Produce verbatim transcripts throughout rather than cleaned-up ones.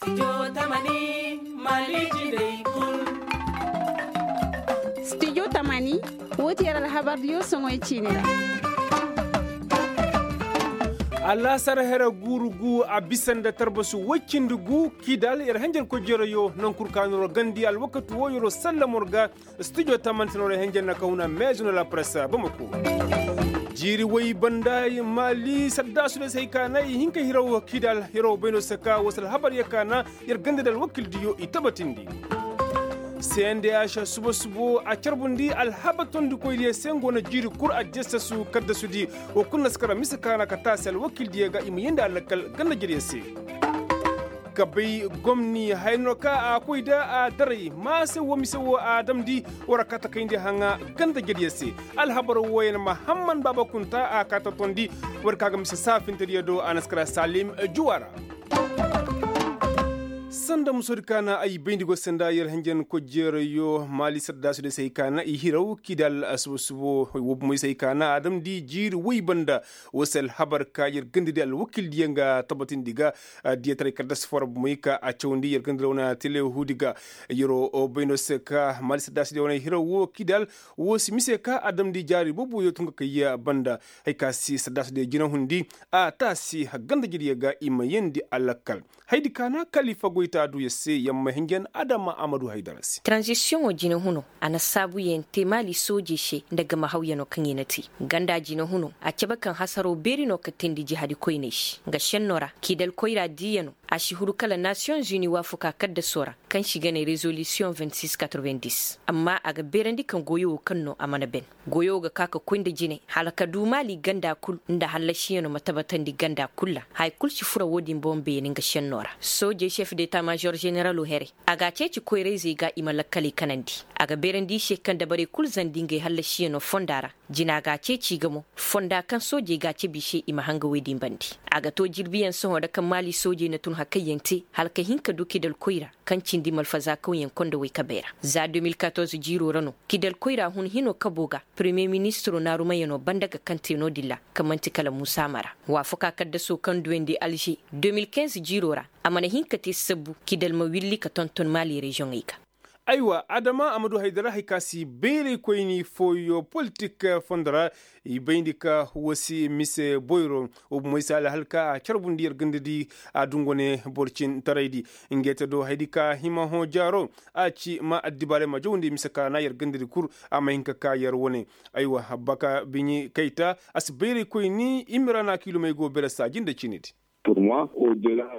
Studio tamani, wo ti yer alhabar diyo soŋoy ciini ra. Allasar here guuru gu a bisa nda tarbasu woy cindi gu, kidal yer hanjar koy jeerayo naŋ kul ka no ra gandi alwakati wo yeroo sallam war ga. Studio tamani se no ra hanjar na kaw na meezo no la press bamako. Jiiri woy banda maali saddaasu day se hay ka na i hin ka hiraw kidal hiraw bay no se ka woo se alhabar ya ka na yer ganda da alwakil diyo i tabatindi. Sendeyaš suba subo a carbundi alhabar tondikoy diyo se nga wane jiiri kul a jessasu kaddasudi. Woo kul na si kara mise ka na ka taasi alwakil diyo ga i ma yeendi a lakkal ganda jariyo se. Ka bay gomni haya no ka a koy da a daray maase woo mise woo a damndi. War a kaa ta kayndi haŋa ganda jariyo se. Alhabar wooyaŋ mahamman baaba kunta a kaa ta tondi. War ka ga mise saafintediyo do a na si kara salim juwa ra. Sanda musoodi ka na ay bayndi go sanda yer hanjan kojeerayo maali saddaasudi se hay ka na i hiraw kidal subo subo woo bumoy se hay ka na a damndi jiiri woy banda. Woo se alhabar ka yer gandadi alwakildiyaŋ ga tabatindi ga. Diyataray kaddas foo ra bumoy ka a cawandi yer gandadi wane telehuudi ga. Yeroo bay no se ka maali saddaasudi wane hiraw woo kidal woo si mise ka a damndi jaari booboyo tun ga kay banda. Hay ka si saddaasudi jinahundi a taasi ganda jariyo ga i ma yeendi a lakkal. Haydi ka na kalifa goyta duuya se yamma hinjan adama amadu haydara se. Taranzisiyoŋo jinahuno a na saabuyaŋ te maali soojey se nda gama hawyanoo kaŋ i na te. Ganda jinahuno a cabe kaŋ hasaroo beeri no ka teendi jihadikoyney se nga šennoo ra kiidal koyra diiyanoo. A si huru kala nasiyoŋ zuni waafakaa kaddasoo ra kaŋ se i ga ne rezolisiyoŋ vingt six quatre vingt dix. Amma a ga beerandi kaŋ goyo woo kaŋ no a mana ben. Goyo ga ka ka koy nda jine hala ka du maali ganda kul nda hallasiyanoo ma tabatandi ganda kul ra. Haya kul si fura woo din boŋ beene nga šennoo ra soojey šef deta mažor ženeraloo here. A g'a ceeci koyra-izey ga i ma lakkaley kanandi. A ga beerandi i se kaŋ dabarey kul zandi ngey hallasiyanoo fonda ra. Jina g'a ceeci i ga mo fonda kaŋ soojey g'a cabe i se i ma hanga woy din bande. A ga too jirbiyaŋ sohõ ra kaŋ maali soojey na tun hakayyaŋ te hala ka hin ka du kidal koyra kaŋ cindi malfazaa kawyaŋ kondowey kabey ra. Za deux mille quatorze jiiroo ra no kidal koyra hun hinoo kaboo ga. Peremiye ministiroo naarumayanoo banda ga kaŋ te no-din ra kaŋ man'ti kala muusa mara. Waafakaa kaddasoo kaŋ duyandi alže deux mille quinze jiiroo ra a mana hin ka te sabbu kidal ma willi ka tonton maali reziyoŋey ga. Aywa adama a ma du haydara hay ka si bayraykoyni fooyo politik fondo ra. I bayndi ka woo si mise boyro. Woo bumoy si alhal ka a carbundi yer gandadi a dungu wane borcintaraydi. Ngey te do haydi ka hima hõ jaaro a ci ma addibaaray ma jawndi mise ka na yer gandadi kul. A ma hin ka ka yer wane. Aywa baka biɲi kayta a si bayraykoyni imira na kiilumey go bere saaji nda ciinidi.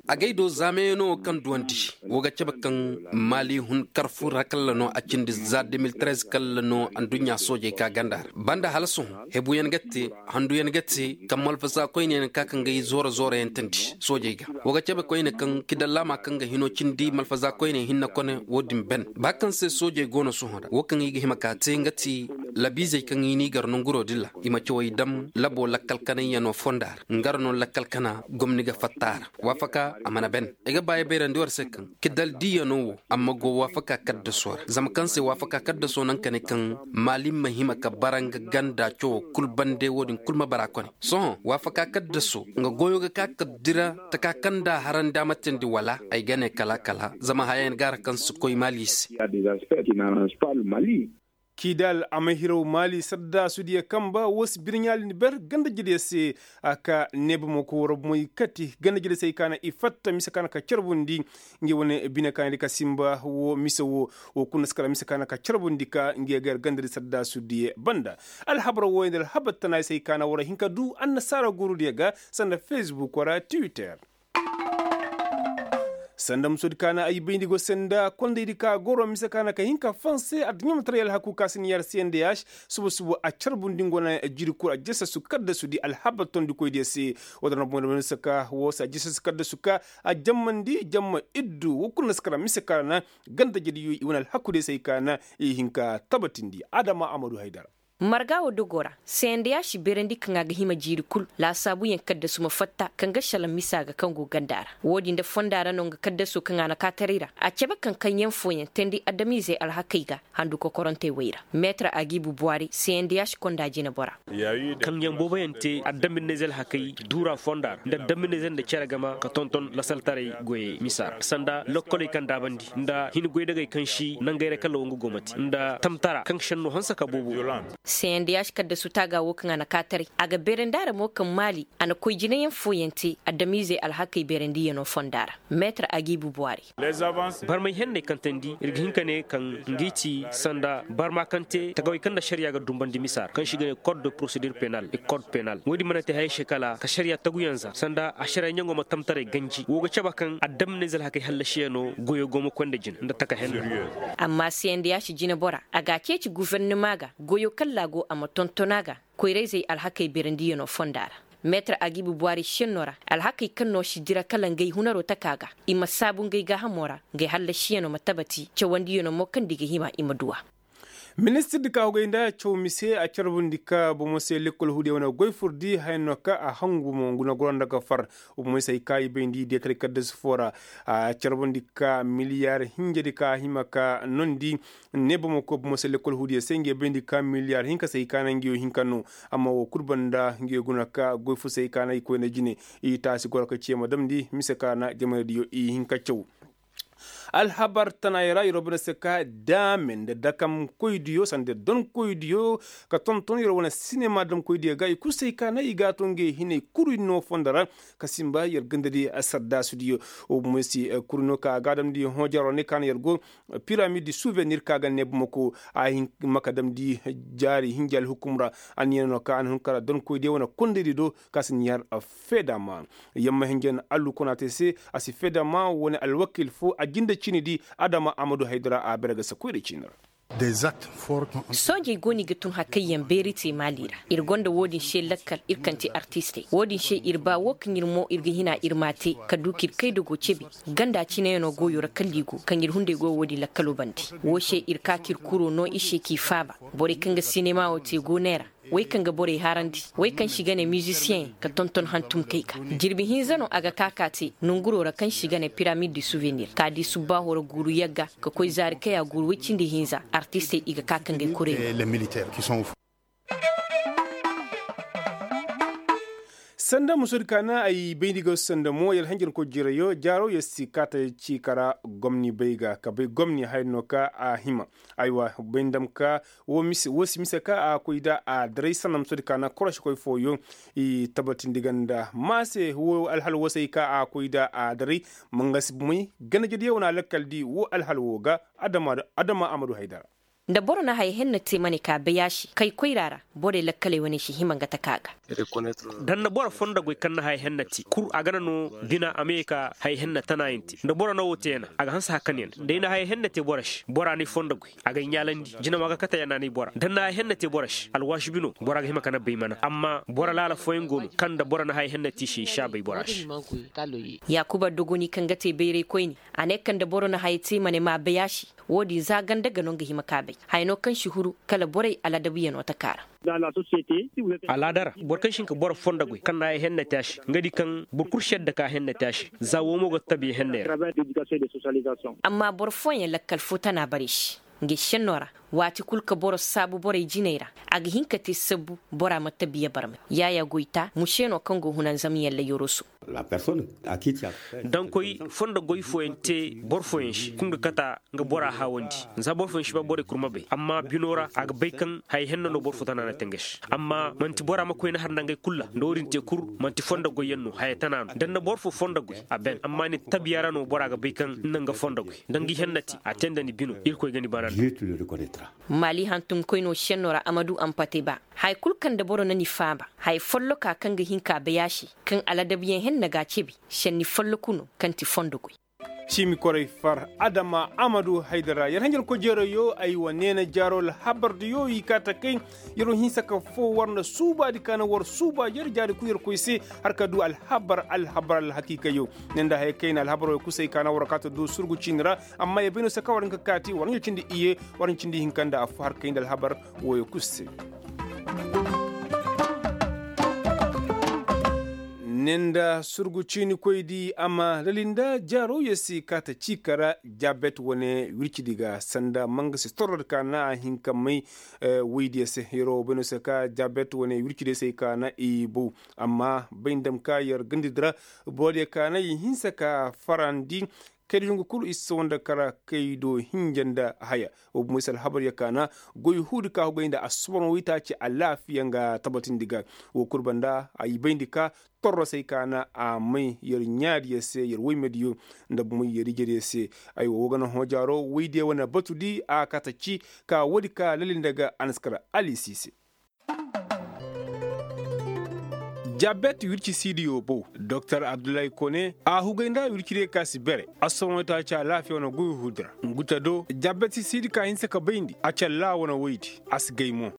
Agay do zaameyano kaŋ duwandi wo ga cabe kaŋ maali hun karfu ra kalla no a cindi za deux mille treize kalla no adduɲɲa soojey ka ganda ra banda hala sohõ hebuyaŋ ga te. Handuyaŋ ga te kaŋ malfaza koyne yaŋ ka kaŋ ga i zooro zooroyaŋ tandi soojey ga. Wo ga cabe koyne kaŋ kidallama kaŋ ga hino cindi malfaza koyne hinne kone wo-din ben ba kaŋ se soojey go no sohõ ra wo kaŋ i ga hima ka te nga ti labiizey kaŋ i n'i gar nonguroo din ra i ma cawey dam labo lakkal kanayyanoo fonda ra. Nga ra no lakkal kana gomni ga fatta a ra. Waafaka a mana ben. Ay ga ba ay bayrandi war se kaŋ kidal diiyanoo wo amma go waafaka kaddasoo ra zama kaŋ se waafaka kaddasoo naŋ ka ne kaŋ maalim ma hima ka bara nga ganda cawoo kul bande wo-din kul ma bara kone. Sohõ waafaka kaddasoo nga goyo ga ka ka dira taka kaŋ nda a harandi a ma teendi wala ay ga ne kala kala zama hayayaŋ ga a ra kaŋ si koy maali se. Kidal a ma hiraw maali saddaasudiyo kamba woo si birɲaali ni ber ganda-jediyo se. A ka neeba ma koy war bomoy kati ganda-jediyo se hay ka na i fatta mise ka na ka carbundi. Ngey wane bine ka na di ka simba woo mise woo woo kul na si kara mise ka na ka carbundi ka ngey ga yer gandadi saddaasudiyo banda. Alhabar wooyaŋ da alhabar tanaay se hay ka na war hin ka du annasaara guurudiyo ga sanda fesbuk wara twitter. Sanda musoodi ka na ay bayndi go se nda kondaydi ka goro mise ka na ka hin ka fanse adduɲɲa ma taray alhaku ka si ni yar se nda yaaš. Suba suba a carbundi nga wane jiiri kul a jesesu kaddasudi alhabar tondikoydiyo se. Woo da na boŋ da wane saka woo se a jesesu kaddasu ka a jammandi jamma iddu woo kul na si kara mise ka na ganda-jediyo i wane alhakudiyo se hay ka na i hin ka tabatindi adama amadu haydara. Marga wo dogo ra, sendeya si beerandi kaŋ a ga hima jiiri kul laasaabuyaŋ kaddasu ma fatta kaŋ ga salaŋ misa ga kaŋ go ganda ra. Wo-din nda fonda ra no nga kaddaso kaŋ a na kaataray ra. A cabe kaŋ kaŋyaŋ fooyaŋ teendi adamizey alhakey ga handu kokorantey wey ra. Meetar agibu buwari sendeya si konda jinebora. Kaŋyaŋ booboyaŋ te adamizey alhakey duura fonda ra nda adamizey nda cere game ka tonton lasaltaray goyey misa ra sanda lokkoley kaŋ daabandi nda hin goydagey kaŋ si nangey ra kala wo nga go ma te nda tamtara kaŋ senno hanse ka boobo. Seyandiyaasi kaddasu taaga wo kaŋ a na kaataray a ga beerandi a ra mo kaŋ maali a na koy jinayaŋ fooyaŋ te adamiizey alhakey beerandiyano fonda ra. Meetar agiibu buwari. Barmay henney kaŋ teendi ir ga hin ka ne kaŋ ngi ti sanda barma kaŋ te tagawey kaŋ nda ašariya ga dumbandi misa ra kaŋ se i ga ne kod de porosedir penal i kod penal wo- din mana te hayey se kala ka ašariya taguyaŋ za sanda ašariya ɲaŋo ma tamtaray ganji wo ga cabe kaŋ adamney zalhakey hallasiyano goyo go ma koy nda jine nda taka henne. Amma seyandiyaasi jinebora a ga a ceeci gofornama ga goyo kaŋ ra a go a ma tonton a ga koyrayzey alhakey beerandiyano fonda ra. Meetar agibu buwari senno ra alhakey kaŋ no si dira kala ngey hunaro taka ga i ma saabu ngey gaahamo ra ngey hallasiyano ma tabati cawandiyano mo kaŋ nda i ga hima i ma du a. Ministirdi ka hogay nda caw mise a carbundi ka bomo se lekkol huudiyaŋ wane goy furdi haya no ka a hangu mo guna goro nda ga far. Bomo se ay ka i bayndi deetaray kaddasu fo ra a carbundi ka miliyar hinjadi ka a hima ka nondi ne bomo ko bomo se lekkol huudiyaŋ se ngey bayndi ka miliyar hinka se ay ka na ngey wo hinka no. Amma wo kul banda ngey guna ka goy fo se ay ka na i koyne jine i taasi goro ka ciya ma damndi mise ka na jamanaydiyo i hinka caw. Alhabar tanaayey ra yer wo banda se ka daame nda dakamkoydiyo sanda donkoydiyo ka tonton yer wane sinema damkoydiyo ga i kul se ay ka na i ga a to ngey hinay kuru i no fondo ra ka sinba yer gandadi saddaasudiyo. Wo bomo se kuru no ka a ga a damndi hoojaroo ne ka na yer go piramid suvenir ka ga ne bamako a hin maka damndi jaari hinja alhukum ra. Anniya no ka a na hun kara donkoydiyo wane kondaydi do ka si ɲaar feedama. Yamma hinja na allu konaate se a si feedama wane alwakiil fo a jinde ciinidi adama amadu haydara a bere ga sakoyra ciini ra. Soojey go no i ga tun hakayyaŋ beeri te maali ra. Ir gonda wo-din se lakkal ir kaŋ ti artistey wo-din se ir ba wo kaŋ ir mo ir ga hina ir m'a te ka du ka ir kaydago cebi ganda cineyaŋo goyo ra kala i go kaŋ ir hunday go wo-din lakkalo bande. Wo se ir ka ka ir kuro no i se k'i faaba. Borey kaŋ ga sinema wo te go neera. Wey kaŋ ga borey harandi wey kaŋ se i ga ne mizisiyeŋ ka tonton hantumkey ga. Jirbi hinza no a ga ka ka te nonguro ra kaŋ se i ga ne piramid de suvenir ka di subbaaho ra guuru yagga ka koy zaari kaya guuru woy cindi hinza artistey i ga ka ka ngey kurey. Sanda musoodi ka na ay bayndi ga sanda mo yar hanjarkoy jireyo jaaro yar si kaata ciika ra gomni bay ga ka bay gomni haya no ka a hima. Aywa bay ndam ka wo si mise ka a koy nda a daray sanda musoodi ka na koroškoy fooyoŋ i tabatindi ganda maase wo alhal wo se ay ka a koy nda a daray. Mangasi bumey ganajediyo wane alakkal di wo alhal wo ga adama amadu haydara. Nda boro na haya henna te ma ne ka bay a se kay koyra ra borey lakkaley wane si hima nga taka ga. Da ni na boro fondo goy kaŋ na haya henna te kul a gana no bina a ma ye ka haya henna tanayaŋ te nda boro na wo te yana a ga hanse hakanyaŋ day na haya henna te boro se bora n'ay fondo goy a g'ay ɲaalandi jinama ga kate yana n'ay bora da ni na haya henna te boro se alwaasi bino bora ga hima ka na bay mana amma boro laala fooyaŋ go no kaŋ nda boro na haya henna te i se i si a bay bora se. Yaakuba dogoni kaŋ ga te bayraykoyne a ne kaŋ nda boro na haya te ma ne m'a bay a se. Wo-din za ganda ga no nga hima ka bay haya no kaŋ si huru kala borey aladabuyaŋo taka ra. Alaada ra boro kaŋ si hin ka boro fondo goy kaŋ na haya henna te a se nga di kaŋ boro kul si yadda ka henna te a se za wo mo go tabiya henney ra. Amma boro fooyaŋ lakkal fo tana bare se. Nga senno ra waati kul ka boro saabu borey jiney ra a ga hin ka te sabbu bora ma tabiya barmay yaayaa goyta muse no kaŋ go hunanzamyaŋ layoroso. Dankoy fondo goy fooyaŋ te boro fooyaŋ se kul ga kata nga bora haawandi. Za boro fooyaŋ si ba borey kul ma bay amma bino ra a ga bay kaŋ haya henna no boro fo tana na te nga se amma man'ti bora ma koy ni har nda ngey kul ra nda wo-din te kul man'ti fondo goyyaŋ no haya tana no da ni na boro fo fondo goy a ben amma ni tabiya ra no bora ga bay kaŋ ni na nga fondo goy da nga i henna te a te nda ni bino irkoy ga ni bana nda. Maali hantumkoyno senno ra amadu ampate ba haya kul kaŋ nda boro na ni faaba haya folloka kaŋ ga hin ka bay a se kaŋ aladabuyaŋ henna ga a cebi senni folloku no kaŋ ti fondo goy. Ciimi koray far adama amadu haydara yer hanjarkoy jeerayyo ay wa neena jaaro alhabardiyo i kaa takay. Yer wo hinsa ka foo war nda suubaadi ka na war suuba yer jaari kul yer koy se har ka du alhabar alhabar alhakiikayyo. Ne nda haya kayna alhabar wo kul se ay kaa na war kaa ta du surgu ciini ra. Amma yer bay no se ka war hin ka kaati war ɲo cindi iyye war ɲo cindi hinka nda affo har kay nda alhabar wooyo kul se. Ne nda surgu ciinikoydi a ma lali nda jaarooyey se ka ta ciika ra. Jabet wane wircidi ga sanda mangasi torrodi ka na a hin ka may woydiyo se hiro bayno se ka jabet wane wircidi se ay ka na i bow. Amma bay nda ma ka yer gandidi ra borodiyo ka na i hinsa ka farandi. Kaydi hungu kulu i si sawa nda kara kaydo hinja nda haya. Wo bumey se alhabar ya kaana goy huudi ka hugay nda assubaran waytaaci alaafiya nga tabatindi ga. Wo kulu banda ay bayndi ka torrosey kaana a may yer ɲaadiyo se yer woymediyo nda bumey yer ijediyo se. Aywa wo ga na hoojaaro woydiyo wane batudi a kata ci ka woodi ka lali nda ga a na si kara alisi se. Jabet wirci siidiyo bow doktor abdullahi kone a hugay nda wircidiyo ka si bere. Assomoy taaca laafiya wane goy huudi ra. Ngu ta do jabet siidi ka hinsa ka bayndi a callaa wane woydi. A si gay mo.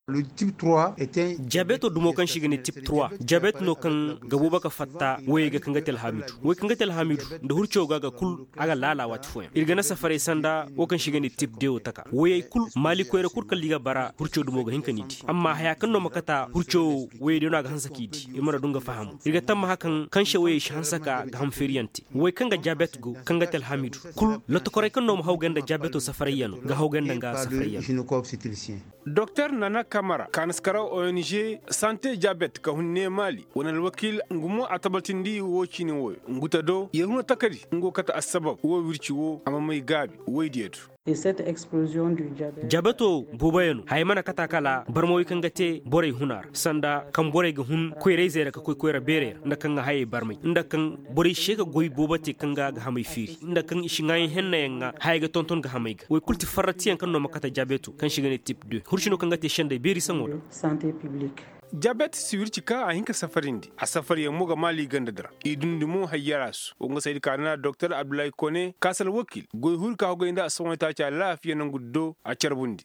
Jabeto dumo kaŋ se i ga ne tip trois jabet no kaŋ ga boobo ga fatta woyey ga kaŋ ga te alhamidu woy kaŋ ga te alhamidu nda hurcaw ga ga kul. A ga laala waati fooyaŋ ir ga na safaray sanda wo kaŋ se i ga ne tip de wo taka woyey kul maali koyra kul kala i ga bara hurcaw dumo ga hin ka ni di amma haya kaŋ no ma kata hurcaw woyey day no a ga hanse k'i di. Ir mana du nga fahamu ir ga tammaha kaŋ kaŋ se woyey si hanse ka ga ham feeriyaŋ te woy kaŋ ga jabet go kaŋ ga te alhamidu kul lotokoray kaŋ no ma hawgay nda jabeto safarayyaŋo ga hawgay nda nga safarayyaŋo. Doktor nana kamara kaanaskaraw ong sante jabet ka hun ne maali wane alwakiil ngu mo a tabatindi wo ciini woyo ngu ta do yer huna takadi nga go kate assabab wo wirci wo a ma may gaabi woydiyo do. Jabeto booboyaŋo haya mana kata kala barmawey kaŋ ga te borey huna ra sanda kaŋ borey ga hun koyrayzey ra ka koy koyra beerey ra nda kaŋ ga hayey barmay nda kaŋ borey se ga goy boobo te kaŋ ga a ga hamay feeri nda kaŋ i si ŋaayaŋ hennayaŋ ŋaa hayey ga tonton ga hamay ga woy kul ti farratiyaŋ kaŋ no ma kate jabeto kaŋ se i ga ne tip de hurcino kaŋ ga te sendey beeri saŋo ra. Jabet si wirci ka a hin ka safarindi a safaryaŋ mo ga maali ganda di ra i dundi mo hayyaraasu wo nga saydi ka na doktor abdullahi kone kaasal wakiil goy huri ka hogay nda a sohõ taaca laafiya nangu di do a carbundi.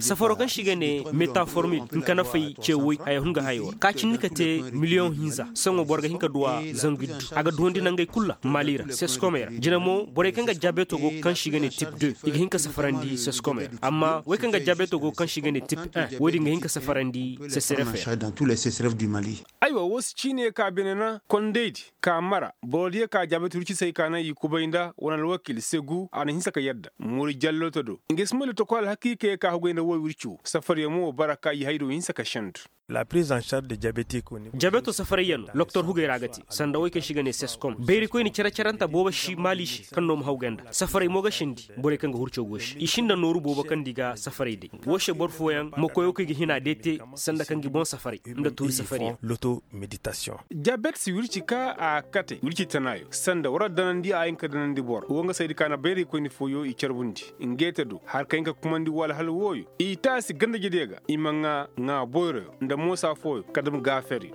Safaro kaŋ se i ga ne metaformil nka na fay ce woy haya hun ga hayo ra ka cindi ka te miliyoŋ hinza sohõ boro ga hin ka duw'a zangu iddu a ga duwandi nangey kulu ra maali ra seskomey ra jina mo borey kaŋ ga jaabeeto go kaŋ se i ga ne tip de i ga hin ka safarandi seskomey ra amma wey kaŋ ga jaabeeto go kaŋ se i ga ne tip un woy din ga hin ka safarandi sesref ra. Aywa wo si ciine ka bine na kondaydi ka mara boro diyo ka jaabeeto wirci se ay ka naŋ i kubay nda wane alwakiil segu a na hinsa ka yadda muri jallooto do nga si may lotokol alhakiikey ka hugay nda wo wirci wo safaryaŋ mo bara ka i haydo hinsa ka sendu. Jabeto safarayyaŋ no loktor hugay ra ga te sanda wey kaŋ se i ga ne seskom bayrikoyni care-caranta boobo si maali se kaŋ no ma haw ganda safaray mo ga sendi borey kaŋ ga hurcaw go se i sinda nooru boobo kaŋ di ga safaray day wo se boro fooyaŋ ma koyo kaŋ i ga hina day te sanda kaŋ ga boŋ safaray nda tuuri safariyaŋ. Jabet si wirci ka a kate wirci tanaayo sanda war danandi a hin ka danandi boro wo nga saydi ka na bayraykoyni fooyo i carbundi ngey te do har ka hin ka kumandi wala hala wooyo i taasi ganda-jediyo ga i ma ŋaa ŋaa boyroyo nda moosa fooyo ka dam gaaferiyo.